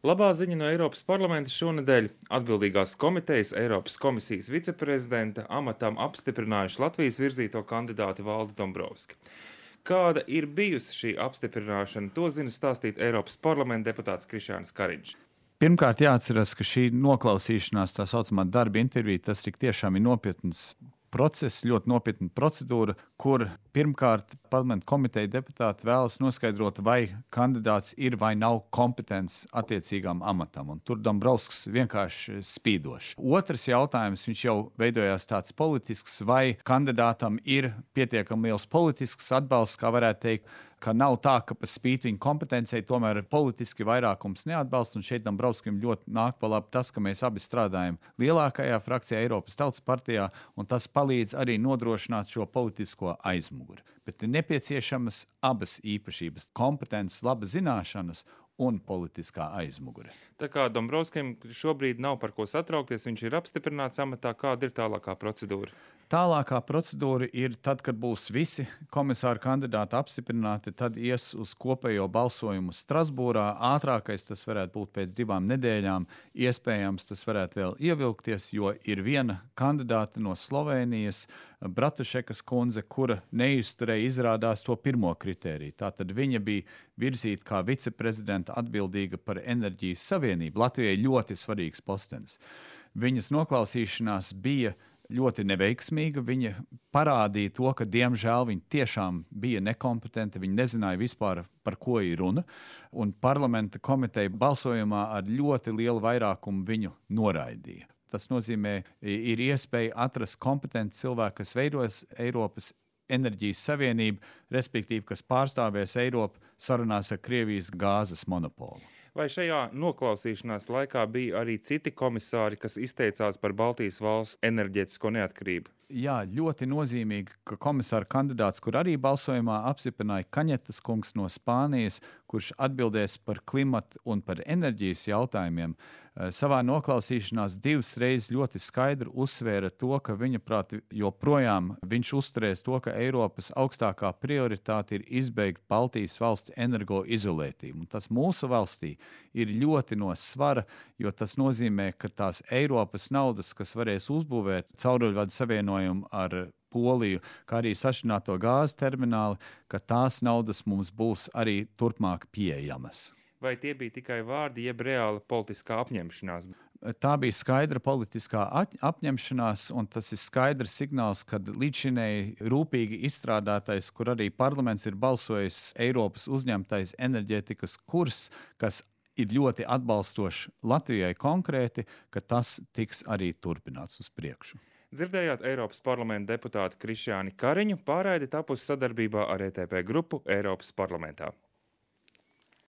Labā ziņa no Eiropas parlamenta šonedēļ atbildīgās komitejas Eiropas komisijas viceprezidenta amatam apstiprinājuši Latvijas virzīto kandidāti Valdi Dombrovski. Kāda ir bijusi šī apstiprināšana, to zina stāstīt Eiropas parlamenta deputāts Krišjānis Kariņš. Pirmkārt, jāatcerās, ka šī noklausīšanās, tā saucamā darba intervija, tas tik tiešām ir nopietns process, ļoti nopietna procedūra, kur pirmkārt parlamenta komiteja deputāti vēlas noskaidrot, vai kandidāts ir vai nav kompetents attiecīgām amatam. Un tur Dombrovskis vienkārši spīdošs. Otrs jautājums, viņš jau veidojās tāds politisks, vai kandidātam ir pietiekami liels politisks atbalsts, kā varētu teikt, ka nav tā, ka pa spīti viņa kompetencijai tomēr politiski vairākums neatbalsta, un šeit Dombrovskim ļoti nāk pa labi tas, ka mēs abi strādājam lielākajā frakcijā Eiropas Tautas partijā, un tas palīdz arī nodrošināt šo politisko aizmuguri. Bet ir nepieciešamas abas īpašības - kompetences, laba zināšanas un politiskā aizmugure. Tā kā Dombrovskim šobrīd nav par ko satraukties, viņš ir apstiprināts amatā, kāda ir tālākā procedūra? Tālākā procedūra ir tad, kad būs visi komisāru kandidāti apstiprināti, tad ies uz kopējo balsojumu Strasbūrā. Ātrākais tas varētu būt pēc 2 nedēļām. Iespējams, tas varētu vēl ievilkties, jo ir viena kandidāte no Slovēnijas, Bratušekas kundze, kura neizturēja izrādās to pirmo kritēriju. Tātad viņa bija virzīta kā viceprezidenta atbildīga par enerģijas savienību. Latvijai ļoti svarīgs postenis. Viņas noklausīšanās bija ļoti neveiksmīga. Viņa parādīja to, ka, diemžēl, viņa tiešām bija nekompetenta. Viņa nezināja vispār, par ko ir runa. Un parlamenta komiteja balsojumā ar ļoti lielu vairākumu viņu noraidīja. Tas nozīmē, ir iespēja atrast kompetentu cilvēku, kas veidos Eiropas enerģijas savienību, respektīvi, kas pārstāvēs Eiropu sarunās ar Krievijas gāzes monopolu. Vai šajā noklausīšanās laikā bija arī citi komisāri, kas izteicās par Baltijas valstu enerģētisko neatkarību? Jā, ļoti nozīmīgi, ka komisāra kandidāts, kur arī balsojumā apstiprināja Kaņetas kungs no Spānijas, kurš atbildēs par klimatu un par enerģijas jautājumiem, savā noklausīšanās 2 reizes ļoti skaidri uzsvēra to, ka viņa prāt joprojām viņš uzturēs to, ka Eiropas augstākā prioritāte ir izbeigt Baltijas valstu energoizolētību. Un tas mūsu valstī ir ļoti no svara, jo tas nozīmē, ka tās Eiropas naudas, kas varēs uzbūvēt cauruļvadu savienojumu ar Poliju, kā arī sašķidrināto gāzes termināli, ka tās naudas mums būs arī turpmāk pieejamas. Vai tie bija tikai vārdi, jeb reāla politiskā apņemšanās? Tā bija skaidra politiskā apņemšanās, un tas ir skaidrs signāls, ka līdzšinēji rūpīgi izstrādātais, kur arī parlaments ir balsojis Eiropas uzņemtais enerģētikas kurs, kas ir ļoti atbalstošs Latvijai konkrēti, ka tas tiks arī turpināts uz priekšu. Dzirdējāt Eiropas parlamenta deputātu Krišjāni Kariņu, pārraide tapusi sadarbībā ar ETP grupu Eiropas parlamentā.